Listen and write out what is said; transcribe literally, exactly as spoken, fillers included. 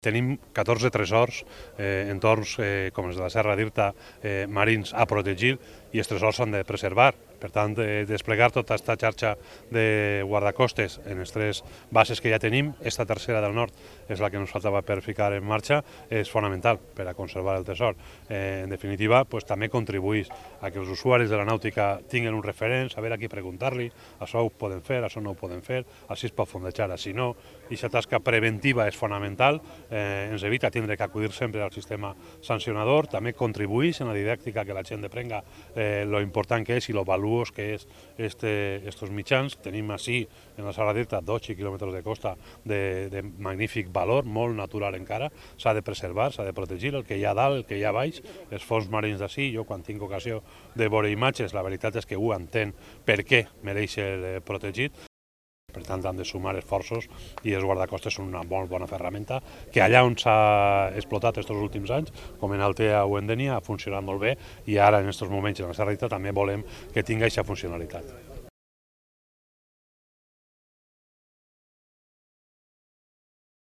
Tenim catorze tresors, eh, entorns eh, com els de la Serra d'Irta, eh, marins a protegir, i els tresors s'han de preservar. Per tant, eh, desplegar tota aquesta xarxa de guardacostes en les tres bases que ja tenim, esta tercera del nord és la que ens faltava per ficar en marxa, és fonamental per a conservar el tresor. Eh, en definitiva, pues, també contribueix a que els usuaris de la nàutica tinguin un referent, saber a qui preguntar-li, això ho poden fer, això no ho poden fer, així es pot fondejar, així no. I aquesta tasca preventiva és fonamental, eh, ens evita tindre que acudir sempre al sistema sancionador, també contribueix en la didàctica que la gent aprenga eh, lo important que és i lo valuós que és este, estos mitjans. Tenim així, en la Serra d'Irta, dotze quilòmetres de costa de, de magnífic valor, molt natural encara, s'ha de preservar, s'ha de protegir el que hi ha dalt, el que hi ha baix, els fons marins d'ací. Jo quan tinc ocasió de veure imatges, la veritat és que ho entenc per què mereix ser protegit. Per tant, han de sumar esforços i els guardacostes són una molt bona ferramenta que allà on s'ha explotat aquests últims anys, com en Altea o en Dénia, ha funcionat molt bé, i ara en aquests moments en la Serra d'Irta també volem que tingui aquesta funcionalitat.